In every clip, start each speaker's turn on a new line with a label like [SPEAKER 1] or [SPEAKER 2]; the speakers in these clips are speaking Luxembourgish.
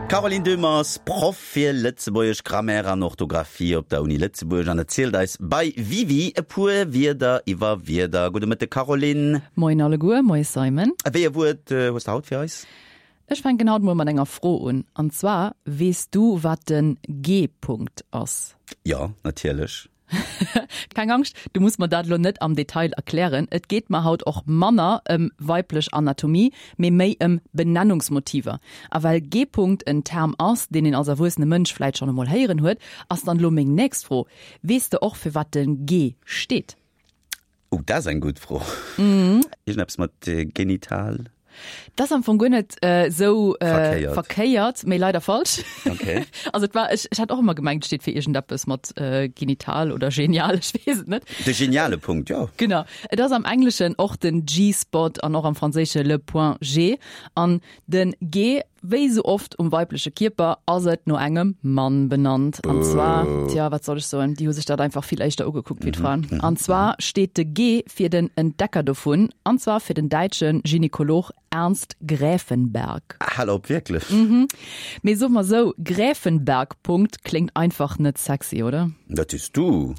[SPEAKER 1] D'Caroline Döhmer ass Proff fir Lëtzebuergesch Grammaire an Orthografie op der Uni Lëtzebuerg an erzielt eis bei Wiwi e puer Wierder iwwer Wierder. Gudde Mëtteg Caroline.
[SPEAKER 2] Moien alleguer, moie Simon.
[SPEAKER 1] Wéi e Wuert hues de haut fir eis?
[SPEAKER 2] Ech fänken haut mol mat enger Fro un, an zwar, Weess du wat den G-Punkt ass?
[SPEAKER 1] Jo, natierlech.
[SPEAKER 2] Keng Angscht, du muss mer dat elo net am Detail erklären. Et geet mer haut och manner ëm weiblech Anatomie, mee méi ëm Benennungsmotiver. A well G-Punkt en Term ass, deen een als erwuessene Mënsch vläit schonn emol héieren huet, ass dann elo meng nächst Fro, Weess de och fir wat de G steet?
[SPEAKER 1] Oh, dat ass eng gutt Fro. Iergendeppes mat Genital?
[SPEAKER 2] Dat ass am Fong guer net esou verkéiert, mee leider falsch.
[SPEAKER 1] Okay.
[SPEAKER 2] Also et war, ech, ech hat och ëmmer gemengt, et steet fir iergendeppes mat genital oder genial, ech weess et net.
[SPEAKER 1] De geniale Punkt, jo.
[SPEAKER 2] Genau. Et ass am Engleschen och den G-Spot an och am Franséische le point G. An den G Wéi sou oft um weibleche Kierper ass et no engem Mann benannt. An zwar, tja, wat soll ech soen, déi hu sech dat einfach vill éischter ugekuckt wéi d'Fraen. An zwar steet de G fir den Entdecker dovun, an zwar fir den däitsche Gynekolog Ernst Gräfenberg.
[SPEAKER 1] Hal op, wierklech?
[SPEAKER 2] Mee soe mer sou, Gräfenberg-Punkt kléngt einfach net sexy, oder?
[SPEAKER 1] Dat sees du.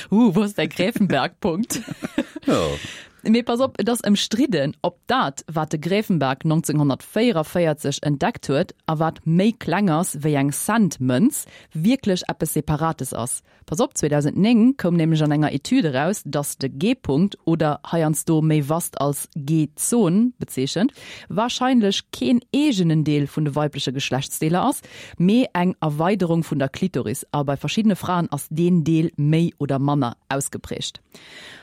[SPEAKER 2] Huh, wou ass däi Gräfenberg-Punkt?
[SPEAKER 1] Jo.
[SPEAKER 2] Mee pass op, et ass ëmstridden, ob dat, wat de Gräfenberg 1944 entdeckt huet a wat méi kleng ass wéi eng Cent-Mënz, wierklech eppes Separates ass. Pass op, 2009 koum nämlech an enger Etüd eraus, datt de G-Punkt, oder heiansdo méi vast als G-Zon bezeechent, warscheinlech keen eegenen Deel vun de weibleche Geschlechtsdeeler ass, mee eng Erweiderung vun der Klitoris, a bei verschiddene Fraen ass deen Deel méi oder manner ausgeprägt.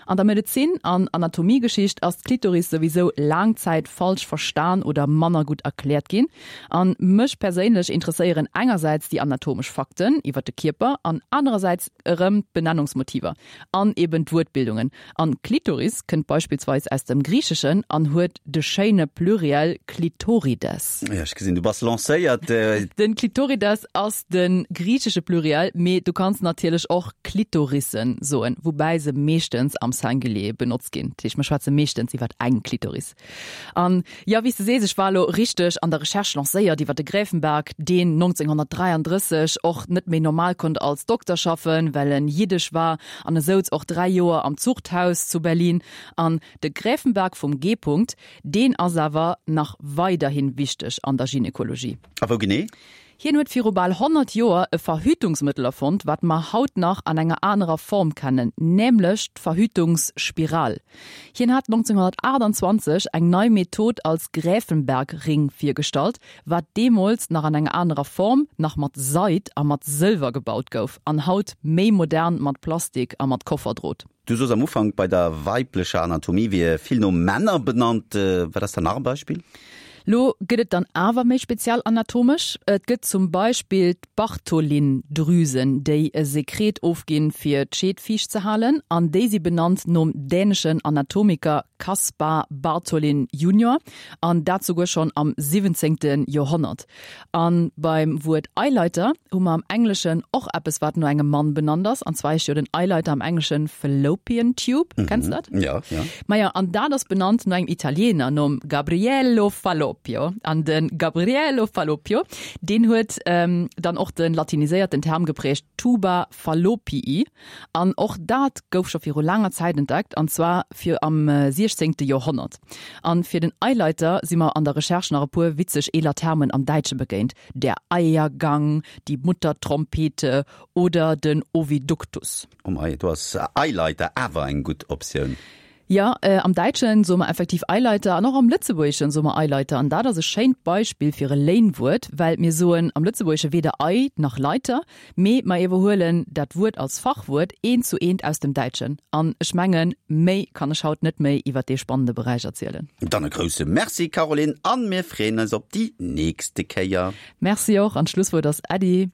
[SPEAKER 2] An der Medezin an Anatomiegeschicht ass d'Klitoris souwisou laang Zäit falsch verstan oder manner gutt erkläert ginn. An mech perséinlech interesséieren engersäits déi anatomesch Fakten iwwer de Kierper an anerersäits erëm d'Benennungsmotiver an eben d'Wuertbildungen. An Klitoris kënnt beispillsweis aus dem Griicheschen an huet de schéine Pluriel Klitorides.
[SPEAKER 1] Jo, ech gesinn, du bass lancéiert.
[SPEAKER 2] Den Klitorides ass de griichesche Pluriel, mee du kanns natierlech och Klitorissen soen, woubäi se meeschtens am Singulier benotzt ginn. Dat heescht, mer schwätze meeschtens iwwer eng Klitoris. An jo, wéi s de sees, ech war elo richteg an der Recherche lancéiert iwwer de Gräfenberg, deen 1933 och net méi normal konnt als Dokter schaffen, well en jiddesch war, an e souz och 3 Joer am Zuchthaus zu Berlin. An de Gräfenberg vum G-Punkt, deen ass awer nach weiderhi wichteg an der Gynekologie.
[SPEAKER 1] A wou genee?
[SPEAKER 2] Hien huet viru bal 100 Joer e Verhütungsmëttel erfonnt, wat mer haut nach an enger anerer Form kennen, nämlech d'Verhütungsspiral. Hien hat 1928 eng nei Method als Gräfenberg-Ring virgestallt, wat deemools nach an enger anerer Form, nach mat Seid a mat Sëlwer gebaut gouf an haut méi modern mat Plastik a mat Kofferdrot.
[SPEAKER 1] Du soos am Ufank, bei der weiblecher Anatomie wier vill no Männer benannt. Wat ass dann nach e Beispill?
[SPEAKER 2] Lo gëtt et dann awer méi speziell anatomesch. Et gëtt zum Beispill d'Bartholin-Drüsen, déi e Sekret ofginn, fir d'Scheed fiicht ze halen, an déi si benannt nom däneschen Anatomiker Caspar Bartholin junior, an dat souguer schonn am siwwenzéngte Joerhonnert. A beim Wuert Eileiter hu mer am Engleschen och eppes, wat no engem Mann benannt ass, an zwar heescht jo den Eileiter am Engleschen Fallopian Tube. Kenns de dat?
[SPEAKER 1] Ja, ja.
[SPEAKER 2] Majo, an dat ass benannt no engem Italiener, nom Gabriello Falloppio. An de Gabriello Falloppio, deen huet dann och de latiniséierten Term geprägt, Tuba Fallopii. An och dat gouf scho viru laanger Zäit entdeckt, an zwar fir am siechzéngte Joerhonnert. An fir den Eileiter si mer an der Recherche nach e puer witzeg eeler Termen am Däitsche begéint, der Eiergang, die Muttertrompete oder den Oviductus.
[SPEAKER 1] Oh mei, do ass Eileiter awer eng gutt Optioun.
[SPEAKER 2] Jo, am Däitschen soe mer effektiv Eileiter an och am Lëtzebuergeschen soe mer Eileiter. An dat ass e schéint Beispill fir e Léinwuert, well mir soen am Lëtzebuergesche weder Ei nach Leiter, mee mer iwwerhuelen dat Wuert als Fachwuert eent zu eent aus dem Däitschen. An ech mengen, méi kann ech haut net méi iwwer dee spannende Beräich erzielen.
[SPEAKER 1] Dann e grousse Merci, Caroline, an mir freeën eis op déi nächste Kéier.
[SPEAKER 2] Merci och, an d'Schlusswuert ass Äddi.